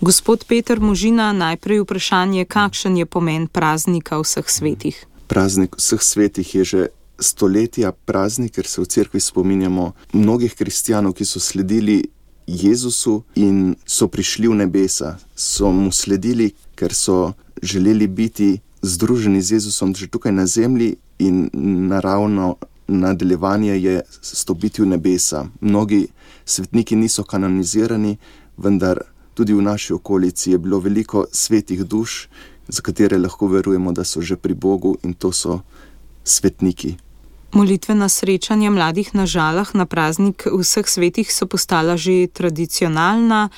Gospod Peter Možina, najprej vprašanje, kakšen je pomen praznika vseh svetih? Praznik vseh svetih je že stoletja praznik, ker se v cerkvi spominjamo mnogih kristjanov, ki so sledili Jezusu in so prišli v nebesa. So mu sledili, ker so želeli biti združeni z Jezusom že tukaj na zemlji in naravno nadaljevanje je stopiti v nebesa. Mnogi svetniki niso kanonizirani, vendar tudi v naši okolici je bilo veliko svetih duš, za katere lahko verujemo, da so že pri Bogu, in to so svetniki. Molitvena srečanja mladih na Žalah na praznik vseh svetih so postala že tradicionalna.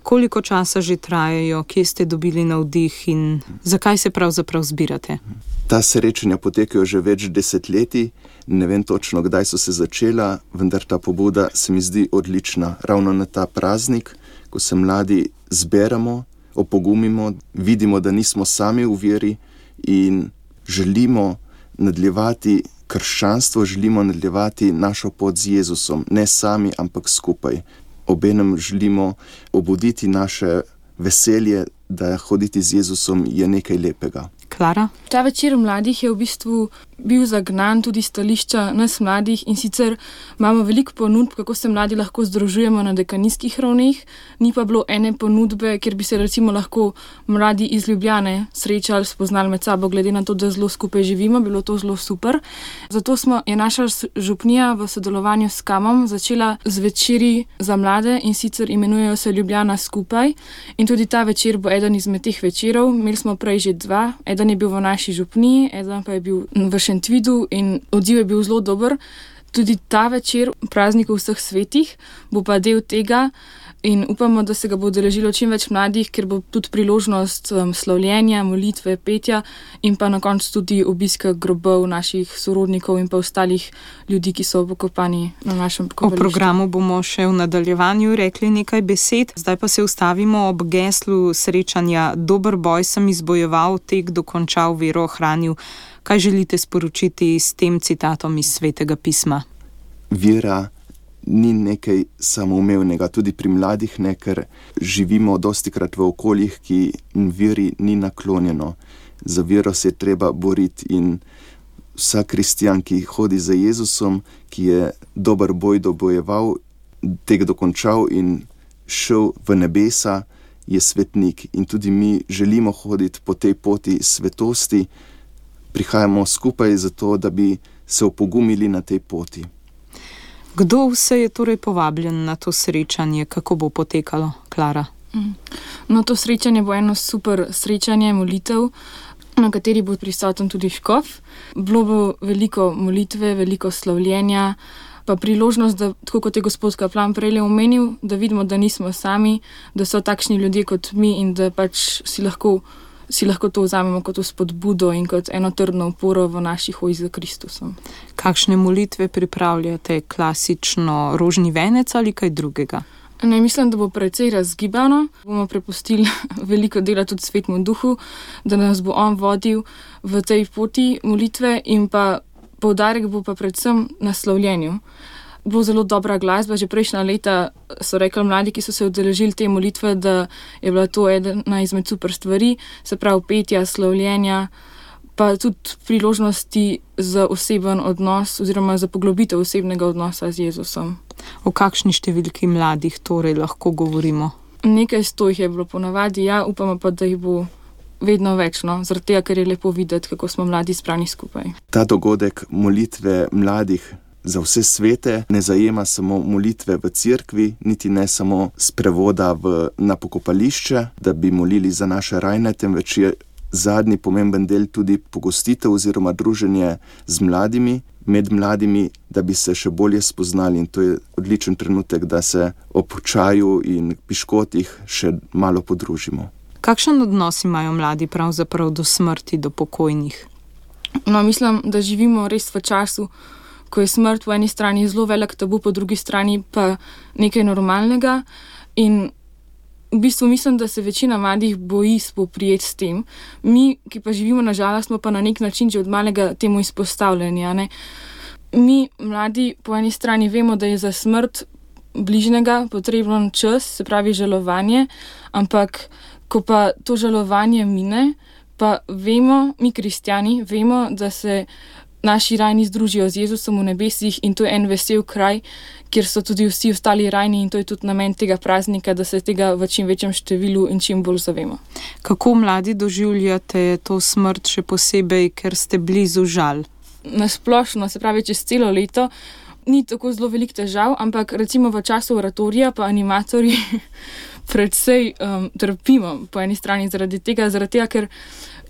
Koliko časa že trajajo, kje ste dobili navdih in zakaj se pravzaprav zbirate? Ta srečanja potekajo že več desetletij, ne vem točno, kdaj so se začela, vendar ta pobuda se mi zdi odlična. Ravno na ta praznik, ko se mladi zberemo, opogumimo, vidimo, da nismo sami v veri in želimo nadaljevati krščanstvo, želimo nadaljevati našo pot z Jezusom, ne sami, ampak skupaj. Obenem želimo obuditi naše veselje, da hoditi z Jezusom je nekaj lepega. Klara? Ta večer mladih je v bistvu bil zagnan tudi stališča nas mladih, in sicer imamo veliko ponudb, kako se mladi lahko združujemo na dekanijskih ravneh, ni pa bilo ene ponudbe, kjer bi se recimo lahko mladi iz Ljubljane srečali, spoznali med sabo, glede na to, da zelo skupaj živimo, bilo to zelo super. Zato je naša župnija v sodelovanju s Kamom začela z večeri za mlade, in sicer imenujejo se Ljubljana skupaj, in tudi ta večer bo eden izmed teh večerov. Imeli smo prej že dva, eden je bil v naši župniji, eden pa je bil v Šentvidu, in odziv je bil zelo dober. Tudi ta večer praznikov vseh svetih bo pa del tega in upamo, da se ga bo udeležilo čim več mladih, ker bo tudi priložnost slavljenja, molitve, petja in pa na koncu tudi obiska grobov naših sorodnikov in pa ostalih ljudi, ki so pokopani na našem pokopališču. O programu bomo še v nadaljevanju rekli nekaj besed. Zdaj pa se ustavimo ob geslu srečanja Dober boj sem izbojeval, tek dokončal, vero ohranil. Kaj želite sporočiti s tem citatom iz Svetega pisma? Vera ni nekaj samoumevnega, tudi pri mladih ne, ker živimo dostikrat v okoljih, ki veri ni naklonjeno. Za vero se je treba boriti in vsak kristjan, ki hodi za Jezusom, ki je dober boj dobojeval, tek dokončal in šel v nebesa, je svetnik. In tudi mi želimo hoditi po tej poti svetosti, prihajamo skupaj zato, da bi se opogumili na tej poti. Kdo vse je torej povabljen na to srečanje? Kako bo potekalo, Klara? No, to srečanje bo eno super srečanje molitev, na kateri bo prisoten tudi škof. Bilo bo veliko molitve, veliko slavljenja, pa priložnost, da, tako kot je gospod kaplan prej omenil, da vidimo, da nismo sami, da so takšni ljudje kot mi in da pač si lahko to vzamemo kot spodbudo in kot eno trdno oporo v naši hoji za Kristusom. Kakšne molitve pripravljate? Klasično rožni venec ali kaj drugega? Ne, mislim, da bo precej razgibano. Bomo prepustili veliko dela tudi Svetemu Duhu, da nas bo on vodil v tej poti molitve, in pa poudarek bo pa predvsem na slavljenju. Bilo zelo dobra glasba, že prejšnja leta so rekli mladi, ki so se udeležili te molitve, da je bila to ena izmed super stvari, se pravi petja, slavljenja, pa tudi priložnosti za oseben odnos oziroma za poglobitev osebnega odnosa z Jezusom. O kakšni številki mladih torej lahko govorimo? Nekaj 100 jih je bilo ponavadi, ja, upamo pa, da jih bo vedno več, no, zaradi tega, ker je lepo videti, kako smo mladi zbrani skupaj. Ta dogodek molitve mladih za vse svete ne zajema samo molitve v cerkvi, niti ne samo sprevoda na pokopališče, da bi molili za naše rajne, temveč je zadnji pomemben del tudi pogostitev oziroma druženje z mladimi, med mladimi, da bi se še bolje spoznali, in to je odličen trenutek, da se ob čaju in piškotih še malo podružimo. Kakšen odnos imajo mladi pravzaprav do smrti, do pokojnih? No, mislim, da živimo res v času, ko je smrt po eni strani zelo velik tabu, po drugi strani pa nekaj normalnega, in v bistvu mislim, da se večina mladih boji spoprijeti s tem. Mi, ki pa živimo na Žalah, smo pa na nek način že od malega temu izpostavljeni, ne? Mi, mladi, po eni strani vemo, da je za smrt bližnjega potreben čas, se pravi žalovanje, ampak ko pa to žalovanje mine, pa vemo, mi kristjani, vemo, da se naši rajni združijo z Jezusom v nebesih in to je en vesel kraj, kjer so tudi vsi ostali rajni in to je tudi namen tega praznika, da se tega v čim večjem številu in čim bolj zavemo. Kako mladi doživljate to smrt, še posebej, ker ste blizu žal? Nasplošno, se pravi čez celo leto, ni tako zelo velik težav, ampak recimo v času oratorija pa animatorji predvsej trpimo po eni strani zaradi tega, ker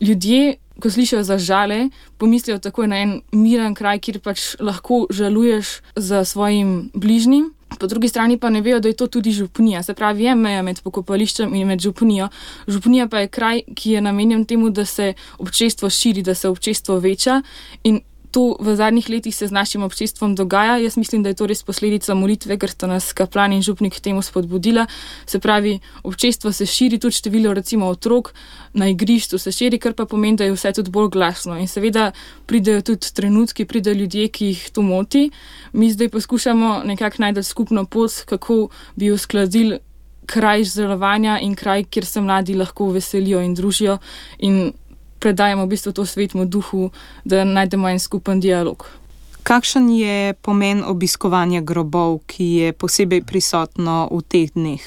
ljudje, ko slišijo za žale, pomislijo takoj na en miren kraj, kjer pač lahko žaluješ za svojim bližnjim. Po drugi strani pa ne vejo, da je to tudi župnija. Se pravi, je meja med pokopališčem in med župnijo. Župnija pa je kraj, ki je namenjen temu, da se občestvo širi, da se občestvo veča in to v zadnjih letih se z našim občestvom dogaja. Jaz mislim, da je to res posledica molitve, ker sta nas kaplan in župnik k temu spodbudila. Se pravi, občestvo se širi, tudi število recimo otrok na igrišču se širi, kar pa pomeni, da je vse tudi bolj glasno. In seveda pridejo tudi trenutki, pridejo ljudje, ki jih to moti. Mi zdaj poskušamo nekako najti skupno pot, kako bi uskladili kraj žalovanja in kraj, kjer se mladi lahko veselijo in družijo in predajamo v bistvu to Svetemu Duhu, da najdemo en skupen dialog. Kakšen je pomen obiskovanja grobov, ki je posebej prisotno v teh dneh?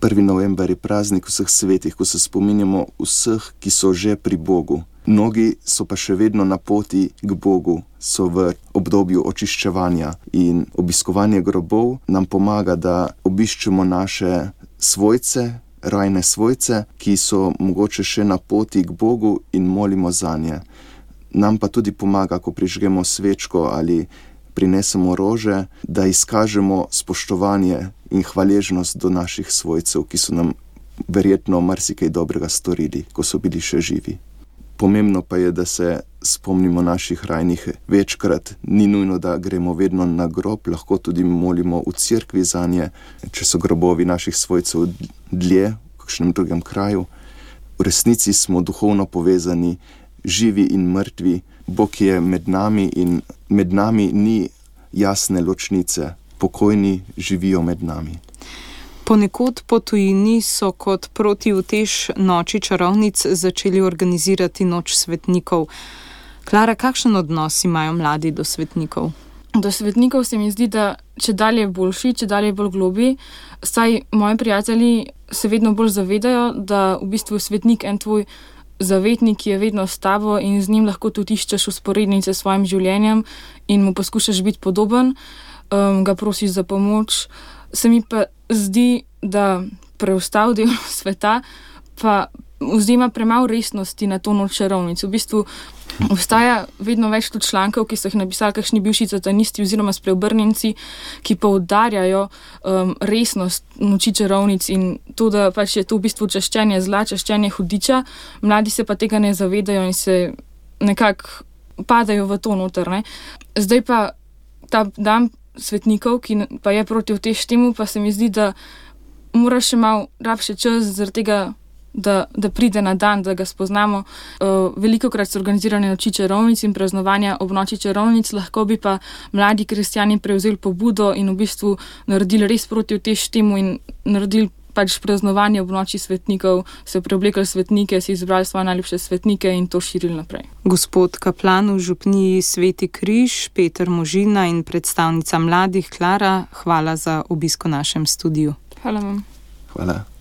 1. november je praznik vseh svetih, ko se spominjamo vseh, ki so že pri Bogu. Mnogi so pa še vedno na poti k Bogu, so v obdobju očiščevanja in obiskovanje grobov nam pomaga, da obiščemo naše svojce, rajne svojce, ki so mogoče še na poti k Bogu in molimo zanje. Nam pa tudi pomaga, ko prižgemo svečko ali prinesemo rože, da izkažemo spoštovanje in hvaležnost do naših svojcev, ki so nam verjetno marsikaj dobrega storili, ko so bili še živi. Pomembno pa je, da se spomnimo naših rajnih večkrat. Ni nujno, da gremo vedno na grob, lahko tudi molimo v cerkvi zanje, če so grobovi naših svojcev dlje, v kakšnem drugem kraju. V resnici smo duhovno povezani, živi in mrtvi. Bog je med nami in med nami ni jasne ločnice. Pokojni živijo med nami. Ponekod po tujini so kot protiutež noči čarovnic začeli organizirati noč svetnikov. Klara, kakšen odnos imajo mladi do svetnikov? Do svetnikov se mi zdi, da čedalje boljši, čedalje bolj globi. Saj moji prijatelji se vedno bolj zavedajo, da v bistvu svetnik en tvoj zavetnik, ki je vedno s tabo in z njim lahko tudi iščeš vzporednice s svojim življenjem in mu poskušaš biti podoben, ga prosiš za pomoč. Se mi pa zdi, da preostal del sveta pa vzema premalo resnosti na to noč čarovnic. V bistvu obstaja vedno več tudi člankov, ki so jih napisali kakšni bivši satanisti oziroma spreobrnjenci, ki poudarjajo resnost noči čarovnic in to, da pač je to v bistvu čaščenje zla, čaščenje hudiča. Mladi se pa tega ne zavedajo in se nekako padajo v to noter. Ne? Zdaj pa ta dan svetnikov, ki pa je protiutež temu, pa se mi zdi, da mora še malo rabše čas zaradi tega, da pride na dan, da ga spoznamo. Velikokrat so organizirane noči čarovnic in praznovanja ob noči čarovnic, lahko bi pa mladi kristjani prevzeli pobudo in v bistvu naredili res protiutež temu in naredili pač praznovanje ob noči svetnikov, se preoblekli svetnike, si izbrali svoje najljubše svetnike in to širili naprej. Gospod kaplan v župniji Sveti Križ, Peter Možina in predstavnica mladih Klara, hvala za obisk v našem studiu. Hvala vam. Hvala.